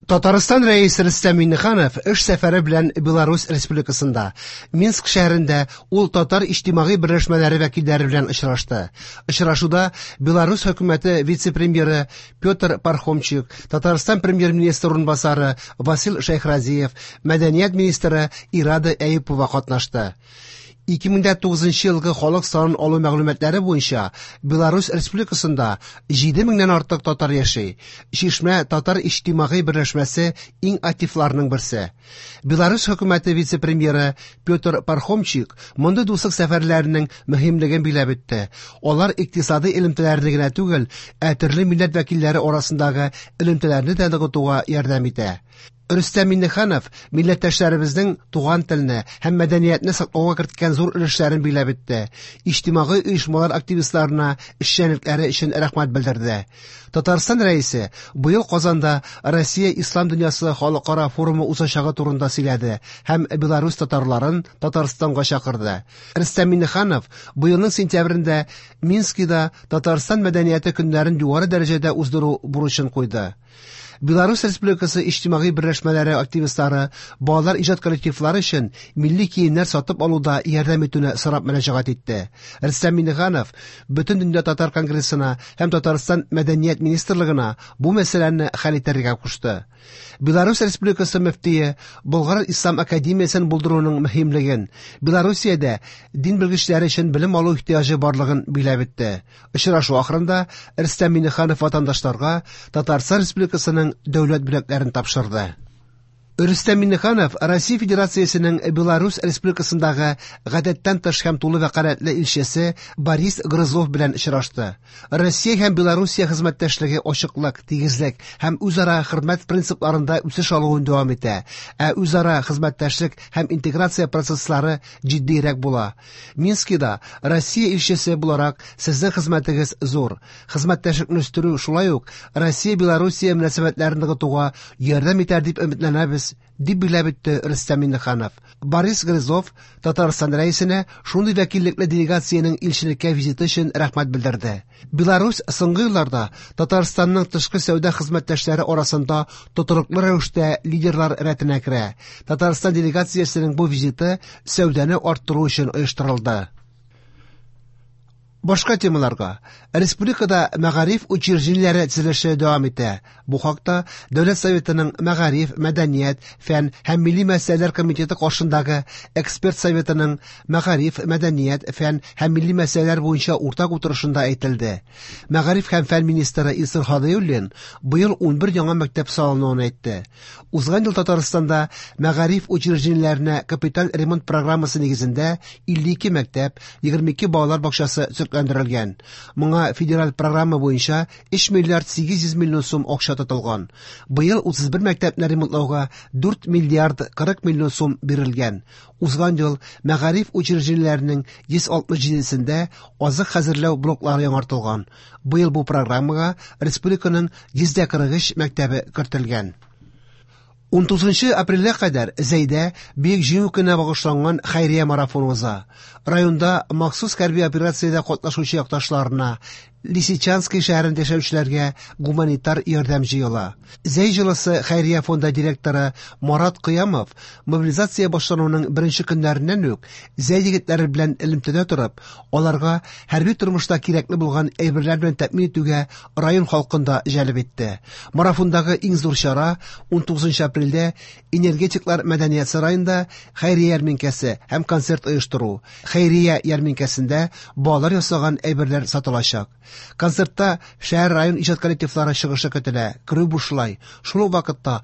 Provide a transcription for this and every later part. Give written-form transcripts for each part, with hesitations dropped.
Татарстан Рәисе Рөстәм Миңнеханов эш сәфәре белән Беларусь Республикасында. Минск шәһәрендә ул татар иҗтимагый берләшмәләре вәкилләре белән очрашты. Очрашуда Беларусь хөкүмәте вице-премьеры Петр Пархомчик, Татарстан премьер-министры урынбасары Васил Шәйхразиев, мәдәният министры Ирада Әюпова катнашты. 2009 елгы халык санын алу мәгълүматлары буенча Беларусь Республикасында 7 меңнән артык татар яши. Чишмә татар иҗтимагый берләшмәсе иң активларның берсе. Беларусь хөкүмәте вице-премьеры Петр Пархомчик мондый дуслык сәфәрләренең мөһимлеген биләп үтте. Алар икътисадый элемтәләрне генә түгел, ә төрле милләт вәкилләре арасындагы элемтәләрне дә ныгытуга ярдәм итә. Рөстәм Миңнеханов милләттәшләребезнең туган телне һәм мәдәниятне саклауга керткән зур өлешләрен биләп үтте. Иҗтимагый оешмалар активистларына эшчәнлекләре өчен рәхмәт белдерде. Татарстан Рәисе быел Казанда Россия Ислам дөньясы халыкара форумы узачагы турында сөйләде һәм Беларусь татарларын Татарстанга чакырды. Рөстәм Миңнеханов быелның сентябрендә Минскида Татарстан мәдәнияте көннәрен югары дәрәҗәдә уздыру бурычын куйды. Беларусь Республикасы иҗтимагый берләшмәләре активистлары балалар иҗат коллективлары өчен милли киемнәр сатып алуда ярдәм итүне сорап мөрәҗәгать итте. Рөстәм Миңнеханов Бөтендөнья татар конгрессына һәм Татарстан мәдәният министрлыгына бу мәсьәләне хәл итәргә кушты. Беларусь Республикасы мөфтие Болгар Ислам академиясен булдыруның мөһимлеген, Белоруссиядә дин белгечләре өчен белем алу ихтыяҗы барлыгын биләп үтте. Очрашу ахырында Рөстәм Миңнеханов ватандашларга Татарстан Республикасының дәүләт бүләкләрен тапшырды. Рөстәм Миңнеханов Россия Федерациясенең Беларусь Республикасындагы гадәттән тыш һәм тулы вәкаләтле илчесе Борис Грызлов белән очрашты. Россия һәм Белоруссия хезмәттәшлеге ачыклык, тигезлек һәм үзара хөрмәт принципларында үсеш алуын дәвам итә, ә үзара хезмәттәшлек һәм интеграция процесслары җитдиерәк була. Минскида Россия илчесе буларак сезнең хезмәтегез зур. Хезмәттәшлекне үстерү шулай ук Россия-Белоруссия мөнәсәбәтләрен ныгытуга ярдәм итәр дип өметләнәбез, дип билгеләп үтте Рөстәм Миңнеханов. Борис Грызлов Татарстан Рәисенә шундый вәкиллекле делегациянең илчелеккә визиты өчен рәхмәт белдерде. Беларусь соңгы елларда Татарстанның тышкы сәүдә хезмәттәшләре арасында тотрыклы рәвештә лидерлар рәтенә керә. Татарстан делегациясенең бу визиты сәүдәне арттыру өчен оештырылды. Башка темаларга. Республикада мәгариф учреждениеләре төзелеше дәвам итә. Бу хакта Дәүләт Советының Мәгариф, мәдәният, фән һәм милли мәсьәләләр комитеты каршындагы эксперт советының мәгариф, мәдәният, фән һәм милли мәсьәләләр буенча уртак утырышында әйтелде. Мәгариф һәм фән министры Илсур Һадиуллин быел 11 яңа мәктәп салынуын әйтте. Узган ел Татарстанда мәгариф учреждениеләренә капиталь ремонт программасы нигезендә 52 мәктәп, 22 балалар бакчасы төзекләндерелгән. Моңа федераль программа буенча 3 миллиард 800 миллион сум акча тотылган. Быел 31 мәктәпне ремонтлауга 4 миллиард 40 миллион сум бирелгән. Узган ел мәгариф учреждениеләренең 167-сендә азык хәзерләү блоклары яңартылган. Быел бу программага республиканың 143 мәктәбе кертелгән. 19 апрельгә кадәр Зәйдә Бөек Җиңү көненә багышланган хәйрия марафоны уза. Районда махсус хәрби операциядә катнашучы якташларына, Лисичанский шәһәрендә яшәүчеләргә гуманитар ярдәм җыела. Зәй җылысы хәйрия фонды директоры Марат Кыямов мобилизация башлануның беренче көннәреннән үк Зәй егетләре белән элемтәдә торып, аларга хәрби тормышта кирәкле булган әйберләр белән тәэмин итүгә район халкын да җәлеп итте. Марафондагы иң зур чара 19 апрельдә Энергетиклар мәдәният сараенда хәйрия ярминкәсе һәм концерт оештыру. Хәйрия ярминкәсендә балалар ясаган әйберләр сатылачак. Концертта шәһәр район иҗат коллективлары чыгышы көтелә. Керү бушлай. Шул ук вакытта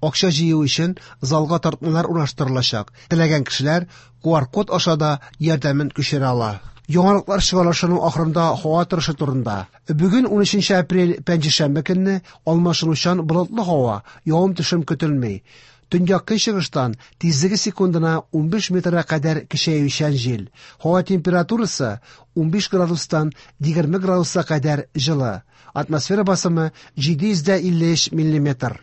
акча җыю өчен залга тартмалар урнаштырылачак. Теләгән кешеләр QR-код аша да ярдәмен күчерә ала. Яңалыклар чыгарылышының ахырында һава торышы турында. Бүген 13 апрель пәнҗешәмбе көнне алмашынучан болытлы һава, явым-төшем көтелми. Төньяк көнчыгыштан тизлеге секундына 15 метрга кадәр көчәючән җил. Һава температурасы 15 градустан 20 градуска кадәр җылы. Атмосфера басымы 753 миллиметр.